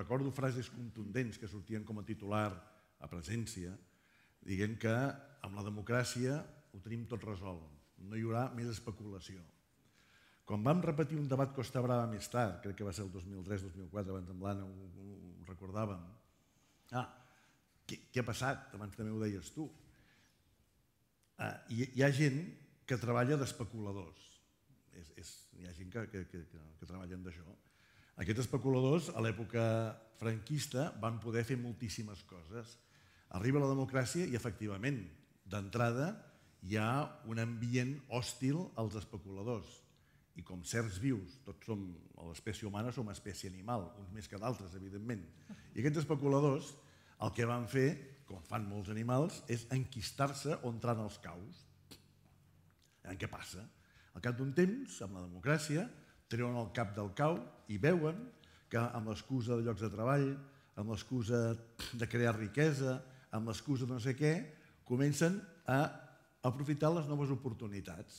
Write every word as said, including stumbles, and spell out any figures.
recordo frases contundents que sortien com a titular a presència, dient que amb la democràcia ho tenim tot resolt, no hi haurà més especulació. Quan vam repetir un debat Costa Brava més tard, crec que va ser el dos mil tres dos mil quatre, abans amb l'Anna ho recordàvem, ah, què ha passat? Abans també ho deies tu. Hi ha gent que treballa d'especuladors, hi ha gent que treballen d'això. Aquests especuladors, a l'època franquista, van poder fer moltíssimes coses. Arriba la democràcia i, efectivament, d'entrada hi ha un ambient hòstil als especuladors. I com certs vius, tots som, a l'espècie humana som espècie animal, uns més que d'altres, evidentment. I aquests especuladors el que van fer, com fan molts animals, és enquistar-se on entran els caus. Què passa? Al cap d'un temps, amb la democràcia, treuen el cap del cau i veuen que amb l'excusa de llocs de treball, amb l'excusa de crear riquesa, amb l'excusa de no sé què, comencen a aprofitar les noves oportunitats.